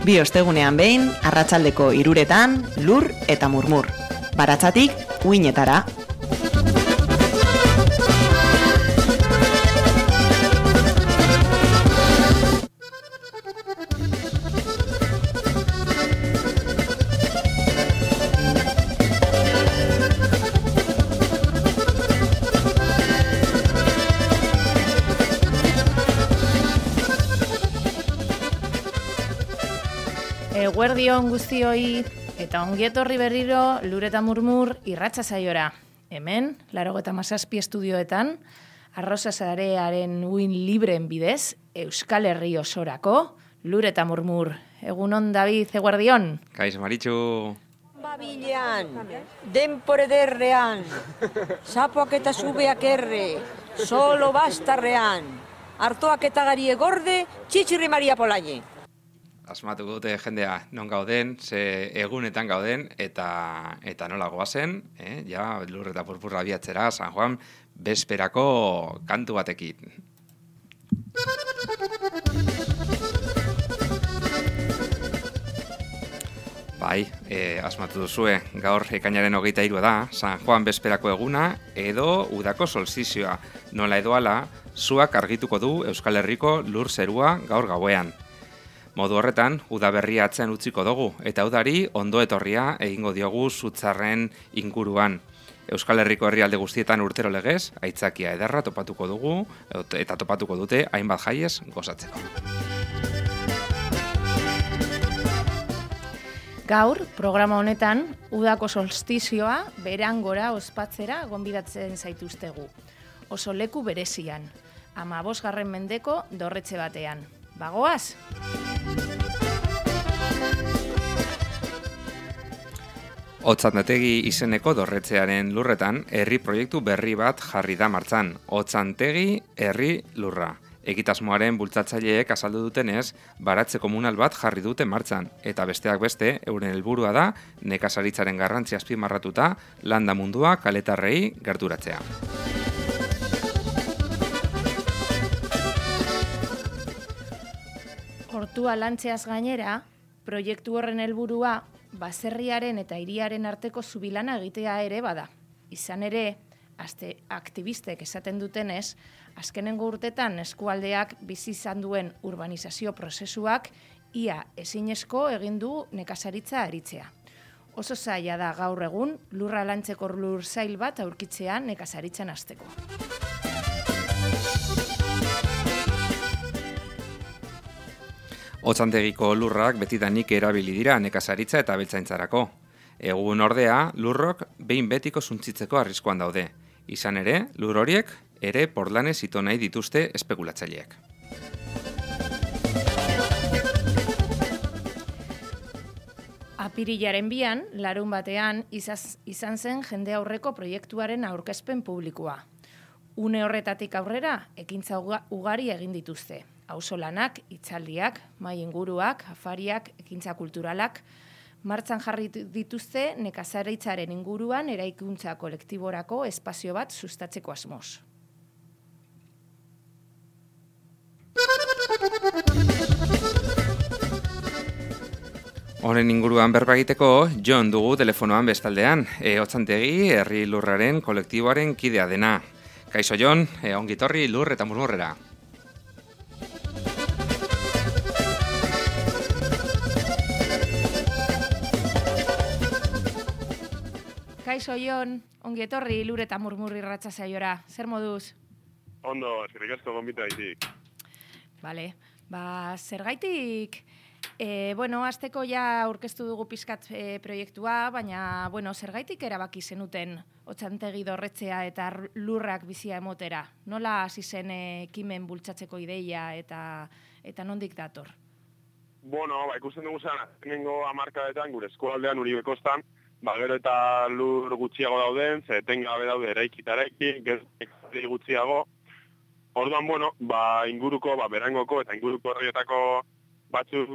Bi ostegunean behin, arratsaldeko 3:00 lur eta murmur. Baratzatik, uinetara. Eguerdion guztioi eta ongietorri berriro lur eta murmur irratsa saiora. Hemen, 87 estudioetan, Arrosa Sarearen uin libreen bidez, Euskal Herri osorako, lur eta murmur. Egunon, David, eguerdion. Kaixo, Maritxu. Babilean, denpore derrean, sapoak eta zubeak erre, solo bastarrean, hartoak eta gari egorde, txitxirri Maria Polaine. Asmatuko dute jendea non gauden, ze egunetan gauden, eta nola goazen, ja, lur eta purpurra abiatzera, San Juan, bezperako kantu batekin. Bai, asmatu duzue, gaur ekainaren 23 da, San Juan bezperako eguna, edo udako solstizioa. Nola edo ala, zuak argituko du Euskal Herriko lur zerua gaur gauean. Modu horretan, udaberria atzean utziko dugu, eta udari ondo etorria egingo diogu zutzarren inguruan. Euskal Herriko herrialde guztietan urtero legez, aitzakia ederra topatuko dugu, eta topatuko dute hainbat jaiez gozatzeko. Gaur, programa honetan, udako solstizioa berangora ospatzera gonbidatzen zaituztegu. Oso leku berezian, 15. mendeko dorretxe batean. Bagoaz? Otzantegi izeneko dorretzearen lurretan, herri proiektu berri bat jarri da martxan. Otzantegi herri lurra. Egitasmoaren bultzatzaileek azaldu dutenez, baratze komunal bat jarri dute martxan, eta besteak beste, euren helburua da, nekazaritzaren garrantzia azpimarratuta, landa mundua kaletarrei gerturatzea. Hortua lantzeaz gainera, proiektu horren helburua baserriaren eta hiriaren arteko zubilana egitea ere bada. Izan ere, aktivistek esaten dutenez, azkenengo urtetan eskualdeak bizi izan duen urbanizazio prozesuak ia ezinezko egin du nekazaritza aritzea. Oso zaila da gaur egun lurra lantzeko lur zail bat aurkitzea nekazaritzan hasteko. Otzantegiko lurrak betidanik erabili dira nekazaritza eta abeltzaintzarako. Egun ordea, lurrok behin betiko suntzitzeko arriskuan daude. Izan ere, lur horiek ere portlanez ito nahi dituzte espekulatzaileek. Apirilaren 2, larun batean, izan zen jende aurreko proiektuaren aurkezpen publikoa. Une horretatik aurrera, ekintza ugari egin dituzte. Auzolanak, hitzaldiak, mahai inguruak, afariak, ekintza kulturalak, martxan jarri dituzte nekazaritzaren inguruan eraikuntza kolektiborako espazio bat sustatzeko asmoz. Honen inguruan berba egiteko, Jon dugu telefonoan bestaldean, Otzantegi herri lurraren kolektiboaren kidea dena. Kaixo Jon, ongitorri lur eta murmurrera. Kaixo Jon, ongi etorri lur eta murmurri irratsa saiora. Zer moduz? Ondo, eskerrik asko gonbita gaitik. Vale, zergaitik, azteko ja aurkeztu dugu pizkat proiektua, baina, zergaitik erabaki zenuten Otzantegi dorretzea eta lurrak bizia emotera? Nola hasi zen ekimen bultzatzeko ideia eta nondik dator? Ikusten dugu zen, azkenengo hamarkadetan, gure eskualdean Uribe kostan, gero eta lur gutxiago dauden, ze etengabe daude eraiki, gero gutxiago. Orduan, inguruko, berangoko eta inguruko herrietako batzuk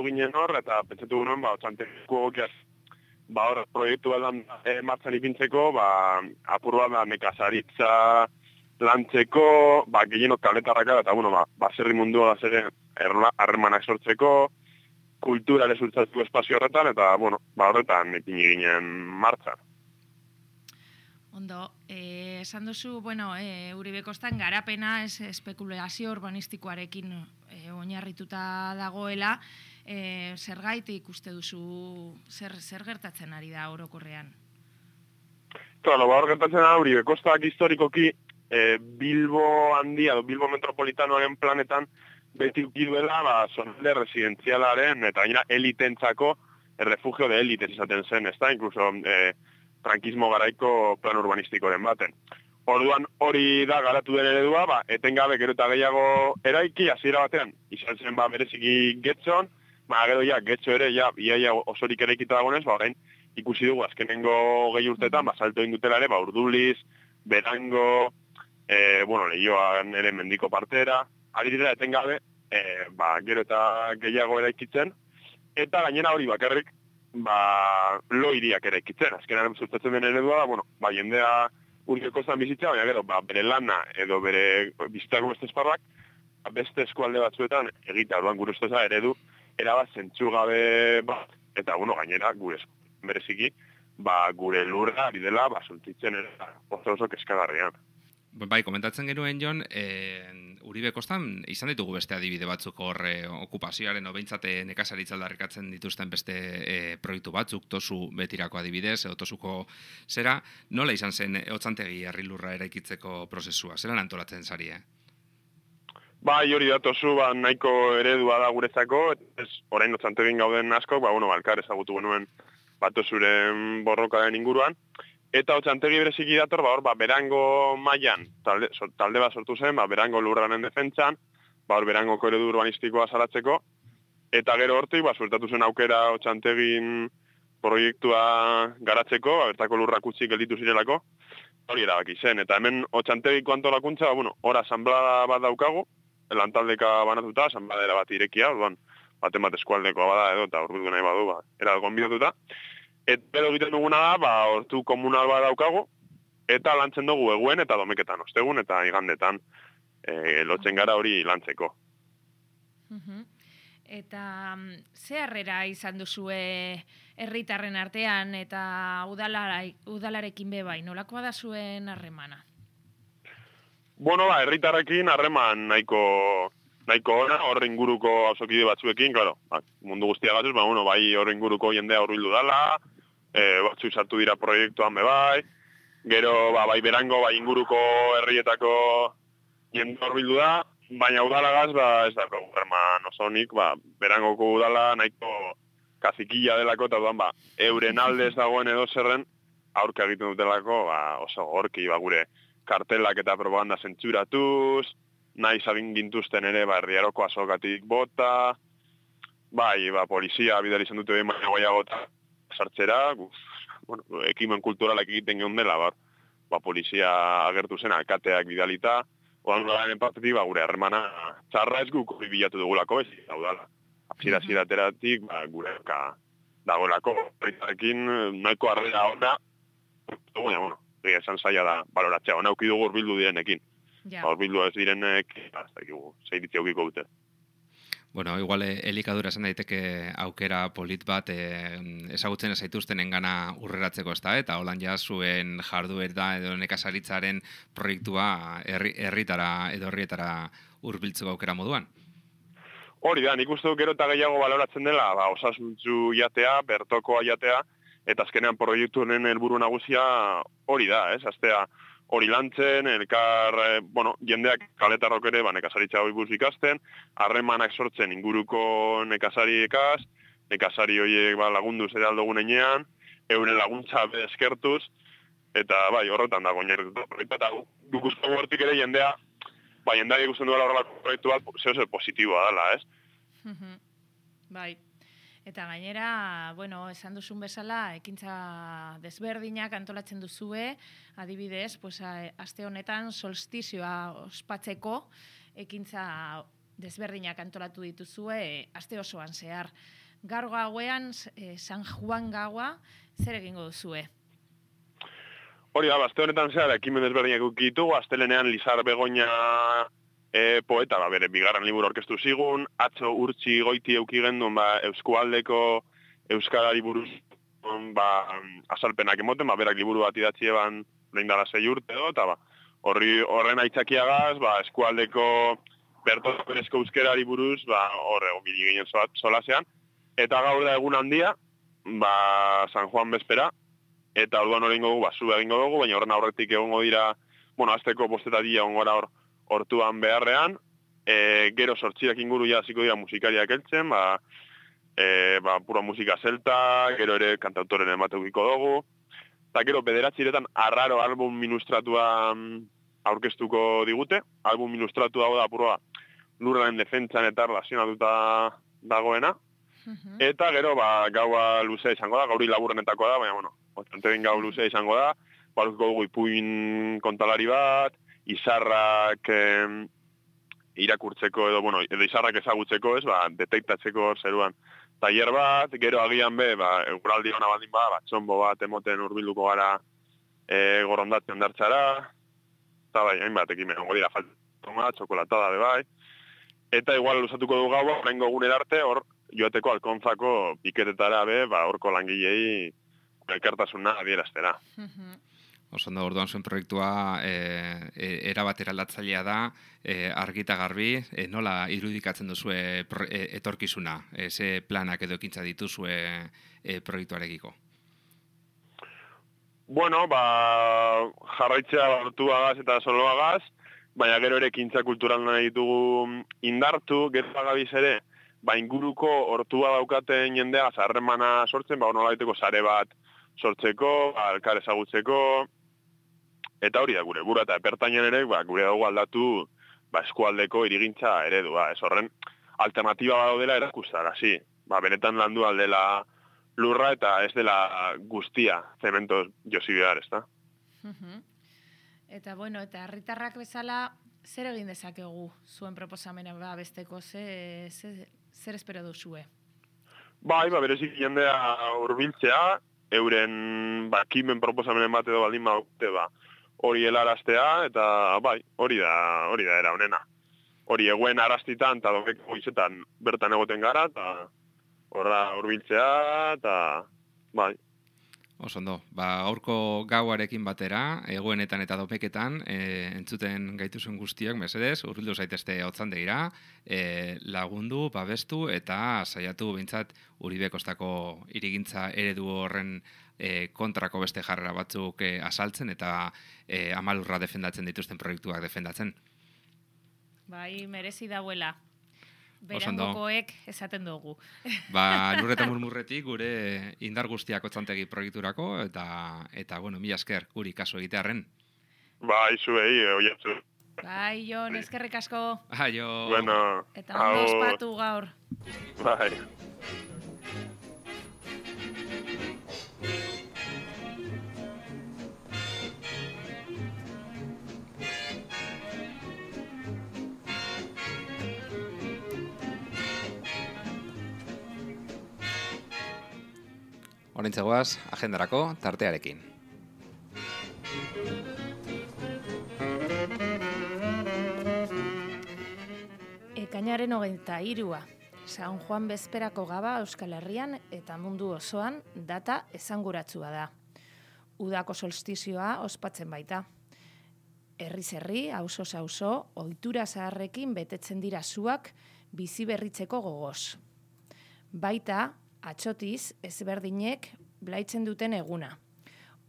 ginen hor, eta pentsatu guen, Otzantegiko egokiaz, hor proiektu bat martxan ipintzeko, apur bat nekazaritza lantzeko, gehienok kaletarraka, eta baserri mundua da zeren harremanak sortzeko, kulturare zultzatu espazio horretan, eta, bueno, horretan ekin ginen martxan. Ondo, esan duzu, Uribe Kostan garapena espekulazio urbanistikoarekin oinarrituta dagoela, zergaitik uste duzu, zer gertatzen ari da orokorrean? Claro, hor gertatzen da Uribe Kostak historikoki Bilbo handia, Bilbo metropolitanoaren planetan beti ukiduela, zonalde residenzialaren eta gainera elitentzako refugio de elites izaten zen, ez da, incluso frankismo garaiko plan urbanistikoren baten. Orduan hori da garatu den eredua, etengabe gero eta gehiago eraiki, hasiera batean, izan zen bereziki Getxon, gero Getxo ere, iaia osorik eraikita dagoenez, orain ikusi dugu azkenengo 20 urtetan, salto indutela ere, Urduliz, Berango, Leioan ere mendiko partera, ari dira etengabe, gero eta gehiago eraikitzen, eta gainera hori bakarrik, lo hiriak eraikitzen. Azkenan zultatzen den eredua da, jendea Uribe Kostan bizitza, baina gero, bere lana edo bere bizitzako beste esparrak, beste eskualde batzuetan egitea, orduan gure ustez eredu, erabat zentzugabe bat, eta gainera gure bereziki, gure lurra ari dela, zultitzen oso keskagarrian. Bai, komentatzen genuen, Jon, Uribe Kostan izan ditugu beste adibide batzuk hor okupazioaren, behintzate nekazaritza aldarrikatzen dituzten beste proiektu batzuk, Tosu betirako adibidez, edo Tosuko zera, nola izan zen Otzantegi herrilurra eraikitzeko prozesua? Zeran antolatzen zari, Bai, hori da, Tosu nahiko eredua da guretzako, orain Otsantegin gauden asko, elkar ezagutu genuen Tosuren borrokaren inguruan, eta Otzantegi bereziki dator, Berango mailan talde bat sortu zen, Berango lurraren defentsan, Berangoko eredu urbanistikoa salatzeko, eta gero hortik, suertatu zen aukera Otsantegin proiektua garatzeko, bertako lurrak utzi gelditu zirelako, hori erabaki zen, eta hemen Otsantegiko antolakuntza, hor asanblada bat daukagu, lantaldeka banatuta, asanbladera bat irekia, baten bat eskualdekoa bada edo, eta urbildu nahi badu, era gonbidatuta. Eta egiten duguna da, hortu komunal bat daukagu, eta lantzen dugu eguen eta domeketan, ostegun eta igandetan lotzen gara hori lantzeko. Eta ze harrera izan duzue herritarren artean eta udalarekin bai, nolakoa da zuen harremana? Herritarrekin harreman nahiko ona, horre inguruko auzokide batzuekin, claro, mundu guztia gatuz, bai horre inguruko jendea hurbildu dala, batzu sartu dira proiektuan bai, gero bai Berango, bai inguruko herrietako jende hurbildu da, baina udalagaz ez da harreman oso honik, Berangoko udala nahiko kazikilla delako, eta euren alde ez dagoen edo zerren aurka egiten dutelako, oso gorki gure kartelak eta propaganda zentzuratuz, nahi zabin gintuzten ere, herriaroko azokatik bota, polizia bidali izan dute behin baina goiagota sartzera, ekimen kulturalak egiten geun dela, polizia agertu zen, alkateak bidalita, odan garen partetik, gure harremana txarra ez guk hori bilatu dugulako, ez hau dala. Zirateratik, gure dagoelako, horretarekin nahiko harrera ona, baina, esan zaila da baloratzea, ona uki dugu urbildu direnekin. Urbildu ez direnek, zeiritzea ukiko dute. Igual elikadura esan daiteke aukera polit bat ezagutzen ez zaituzten engana urreratzeko ez da, eta holan zuen jarduera edo nekazaritzaren proiektua herritara edo herrietara hurbiltzeko aukera moduan. Hori da, nik uste dut gero eta gehiago baloratzen dela, osasuntzu jatea, bertokoa jatea, eta azkenean proiektu honen helburu nagusia hori da, aztea hori lantzen, elkar, jendeak kaletarrok ere, nekazaritza hori buruz ikasten, harremanak sortzen inguruko nekazariekaz, nekazari horiek lagundu ere aldogun enean, euren laguntza eskertuz, eta horretan dago oinarrituta proiektua, eta dukuzko gortik ere jendea, jendeak ikusten duela horrelako proiektu bat, zeo positiboa dela, ez? Bai. Eta gainera, esan duzun bezala, ekintza desberdinak antolatzen duzue, adibidez, aste honetan solstizioa ospatzeko ekintza desberdinak antolatu dituzue, aste osoan zehar. Gaur gauean, San Juan gaua, zer egingo duzue? Hori da, aste honetan zehar, ekimen desberdinak ukitu, astelenean Lizar Begoña poeta, bere bigarren liburu aurkeztu zigun, atzo urtsi goiti euki gendun, Eskualdeko euskarari buruz azalpenak emoten, berak liburu bat idatzi eban lehin dara 6 urte edo, eta horren aitzakiagaz, Eskualdeko bertozko euskarari buruz, horre, onbili ginen solasean, eta gaur da egun handia, San Juan bezpera, eta orduan horrengo dugu, zu egingo dugu, baina horren aurretik egongo dira, azteko postetadia egongo gara hortuan beharrean, gero 8 inguru hasiko dira musikariak heltzen, pura musika zelta, gero ere kantautoren emateukiko dugu, eta gero 9 arraro album ilustratua aurkeztuko digute, album ilustratua da pura lurraren defentsan eta relazionatuta dagoena, eta gero gaua luzea izango da, gauri laburrenetako da, baina bastante ben gau luzea izango da, baluko dugu ipuin kontalari bat, izarrak irakurtzeko edo izarrak ezagutzeko, detektatzeko zeruan tailer bat, gero agian eguraldi hona baldin txombo bat emoten hurbilduko gara gorrondatzen dartxara, eta hainbat ekimen, dira faltoma, txokolatada bai, eta igual luzatuko du gaua, horrengo eguner arte, hor joateko alkontzako piketetara horko langilei elkartasuna adieraztera. Osondo, orduan zuen proiektua erabat eraldatzailea da, argita garbi, nola irudikatzen duzue etorkizuna, ze planak edo ekintza dituzue proiektuarekiko? Bueno, jarraitzea hortuagaz eta soloagaz, baina gero ere ekintza kultural nahi ditugu indartu, gero agabiz ere, inguruko hortua daukaten jendea harremana sortzen, nola daiteko sare bat sortzeko, elkar ezagutzeko, eta hori da gure bura, eta epertainan ere, gure dugu aldatu Eskualdeko irigintza eredua. Ez horren, alternatiba daudela erakustarazi. Benetan landu aldela lurra eta ez dela guztia zementoz josi behar, ez da? Eta, eta herritarrak bezala, zer egin dezakegu zuen proposamena besteko, zer espero duzue? Berezik jendea hurbiltzea, euren kimen proposamenen bat edo baldin baute, hori helaraztea, eta hori da era honena. Hori eguen arrastitan eta domeko goizetan bertan egoten gara, eta horra hurbiltzea, eta Osondo, gaurko gauarekin batera, egoenetan eta domeketan, entzuten gaituzuen guztiak, mesedez, hurbildu zaitezte hotzandegira, lagundu, babestu eta saiatu behintzat Uribe Kostako irigintza eredu horren kontrako beste jarrera batzuk azaltzen eta amalurra defendatzen dituzten proiektuak defendatzen. Merezi dauela. Berangokoek esaten dugu. Lur eta murmurretik gure indar guztiak otzantegi proiekturako eta mila esker guri kaso egitearren. Zuei, oiatzu. Jon, eskerrik asko. Jo. Bueno, eta ondo ospatu gaur. Horrentzegoaz, agendarako tartearekin. Ekainaren 23. San Juan bezperako gaba Euskal Herrian eta mundu osoan data esanguratsua da. Udako solstizioa ospatzen baita. Herriz herri, auzoz auzo, ohitura zaharrekin betetzen dira zuak bizi berritzeko gogoz. Baita, atxotiz ezberdinek blaitzen duten eguna.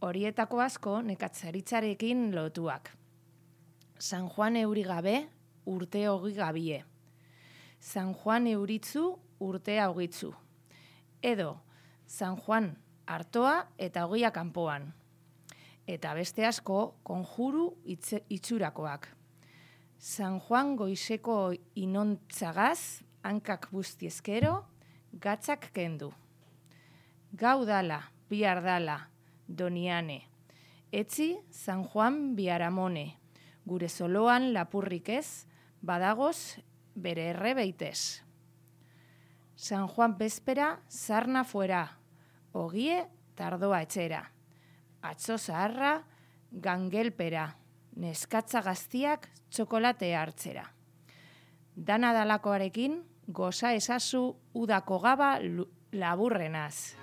Horietako asko nekatzaritzarekin lotuak. San Juan euri gabe, urte hogi gabie. San Juan euritzu, urtea hogitzu. Edo, San Juan artoa eta hogia kanpoan. Eta beste asko konjuru itxurakoak. San Juan goizeko inontzagaz, hankak buztiezkero, gatzak kendu. Gau dala, bihar dala, doniane. Etzi, San Juan biaramone. Gure zoloan lapurrik ez, badagoz bere erre beitez. San Juan bezpera, sarna fuera. Ogie, tardoa etxera. Atzo zaharra, gangelpera. Neskatza gaztiak txokolatea hartzera. Dana dalakoarekin, goza ezazu udako gaba laburrenaz.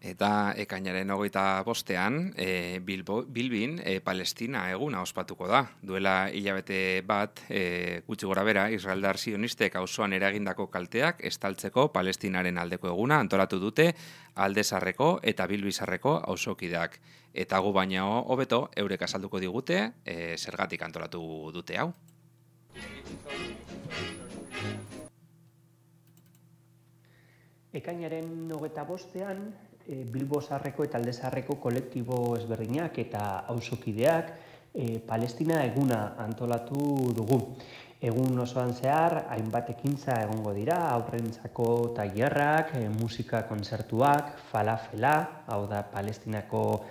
Eta ekainaren 25ean, Bilbin Palestina eguna ospatuko da. Duela hilabete bat, gutxi gora bera, israeldar zionistek auzoan eragindako kalteak estaltzeko Palestinaren aldeko eguna antolatu dute Alde Zaharreko eta Bilbi Zaharreko auzokideak. Eta gu baina hobeto eurek azalduko digute zergatik antolatu dute hau. Ekainaren 25ean, Bilbo Zaharreko eta Alde Zaharreko kolektibo ezberdinak eta auzokideak Palestina eguna antolatu dugu. Egun osoan zehar, hainbat ekintza egongo dira, haurrentzako tailerrak, musika kontzertuak, falafela, hau da Palestinako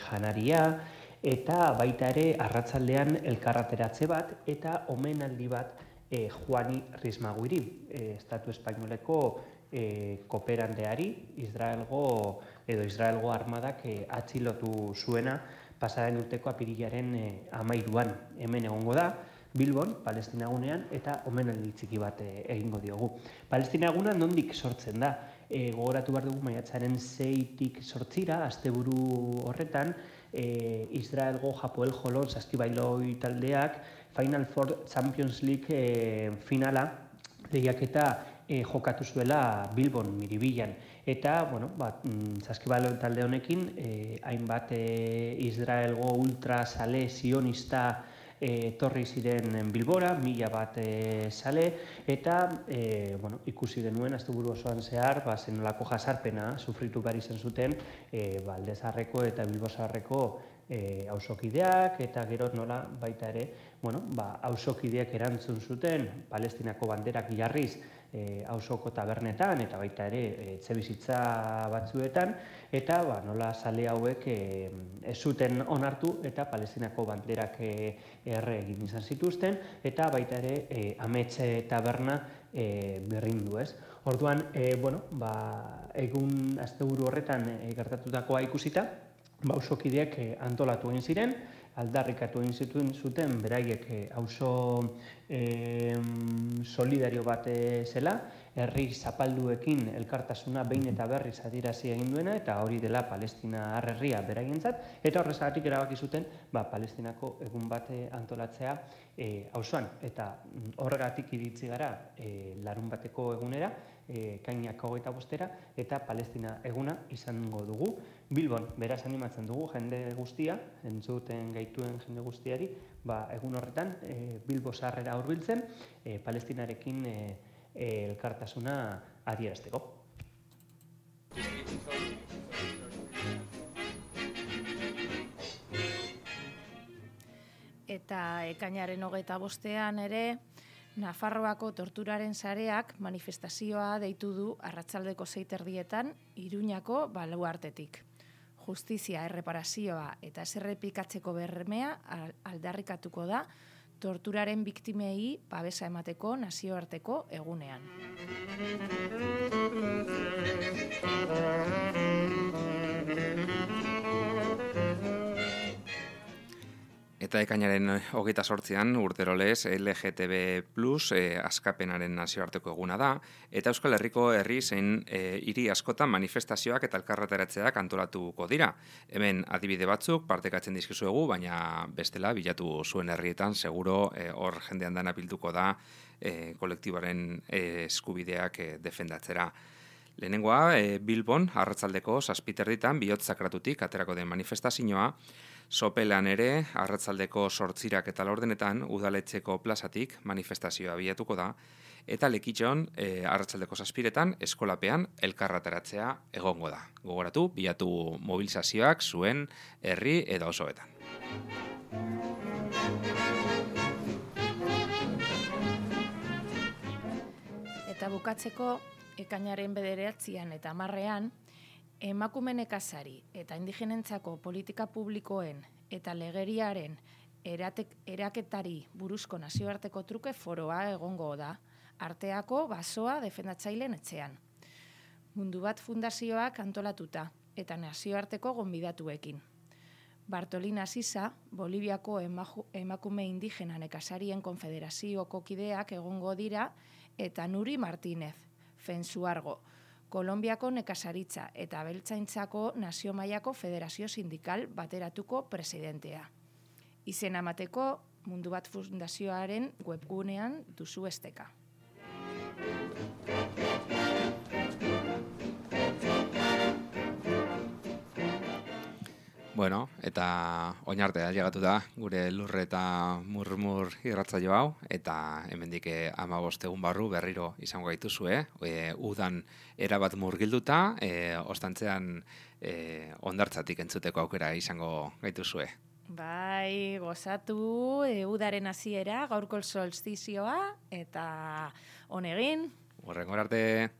janaria, eta baita ere arratsaldean elkarrateratze bat eta omenaldi bat Juani Rismaguiri, Estatu Espainoleko kooperanteari, Israelgo armadak atxilotu zuena pasaren urteko apirilaren 13an. Hemen egongo da, Bilbon, Palestina egunean, eta omenaldi txiki bat egingo diogu. Palestina eguna nondik sortzen da? Gogoratu behar dugu maiatzaren 6tik 8ra, asteburu horretan, Israelgo Hapoel Holon saskibailoi taldeak Final Four Champions League finala lehiaketa jokatu zuela Bilbon, Miribilan. Eta, saskibaloi talde honekin, hainbat Israelgo ultrasale sionista etorri ziren Bilbora, 1000 bat sale, eta ikusi genuen asteburu osoan zehar, zenolako jasarpena sufritu behar izan zuten Alde Zaharreko eta Bilbo Zaharreko auzokideak, eta gero nola baita ere, auzokideak erantzun zuten Palestinako banderak jarriz auzoko tabernetan eta baita ere etxebizitza batzuetan, eta nola zale hauek ez zuten onartu eta Palestinako banderak erre egin izan zituzten, eta baita ere Amets taberna berrindu, ez? Orduan, egun asteburu horretan gertatutakoa ikusita, auzokideak antolatu egin ziren, aldarrikatu egin zuten beraiek auzo solidario bat zela, herri zapalduekin elkartasuna behin eta berriz adierazi egin duena, eta hori dela Palestina herria beraientzat, eta horrezagatik erabaki zuten Palestinako egun bat antolatzea auzoan, eta horregatik iritsi gara larunbateko egunera, ekainak 25era, eta Palestina eguna izango dugu Bilbon. Beraz animatzen dugu jende guztia, entzuten gaituen jende guztiari, egun horretan Bilbo Zaharrera hurbiltzen, Palestinarekin elkartasuna adierazteko. Eta ekainaren 25ean ere, Nafarroako torturaren sareak manifestazioa deitu du arratsaldeko 6:30 Iruñako baluartetik. Justizia, erreparazioa eta ez errepikatzeko bermea aldarrikatuko da torturaren biktimei babesa emateko nazioarteko egunean. Eta ekainaren 28an urterolez LGTB+ askapenaren nazioarteko eguna da, eta Euskal Herriko herri zein hiri askotan manifestazioak eta elkarrateratzeak antolatuko dira. Hemen adibide batzuk partekatzen dizkizuegu, baina bestela bilatu zuen herrietan seguro hor jendean dana bilduko da kolektiboaren eskubideak defendatzera. Lehenengoa, Bilbon, arratsaldeko 7:00 bihotz sakratutik aterako den manifestazioa, Sopelan ere, arratsaldeko 8:00 eta 4:00 udaletxeko plazatik manifestazioa bilatuko da, eta Lekitxon, arratsaldeko 7:00 eskolapean elkarrateratzea egongo da. Gogoratu, bilatu mobilizazioak zuen herri edo osoetan. Eta bukatzeko, ekainaren 9 eta 10 emakume nekazari eta indigenentzako politika publikoen eta legeriaren eraketari buruzko nazioarteko truke foroa egongo da, arteako basoa defendatzaileen etxean. Mundu Bat Fundazioak antolatuta eta nazioarteko gonbidatuekin. Bartolina Sisa, Boliviako emakume indigena nekazarien konfederazioko kideak egongo dira, eta Nuri Martínez, Fensuargo, Kolonbiako nekazaritza eta abeltzaintzako nazio mailako federazio sindikal bateratuko presidentea. Izena emateko Mundu Bat Fundazioaren webgunean duzu esteka. Bueno, eta oinartea llegatu da gure Lur eta Murmur irratsaio hau, eta hemendik 15 egun barru berriro izango gaituzue, udan erabat murgilduta, ostantzean hondartzatik entzuteko aukera izango gaituzue. Bai, gozatu, udaren hasiera, gaurko solstizioa, eta honegin. Horrengor arte.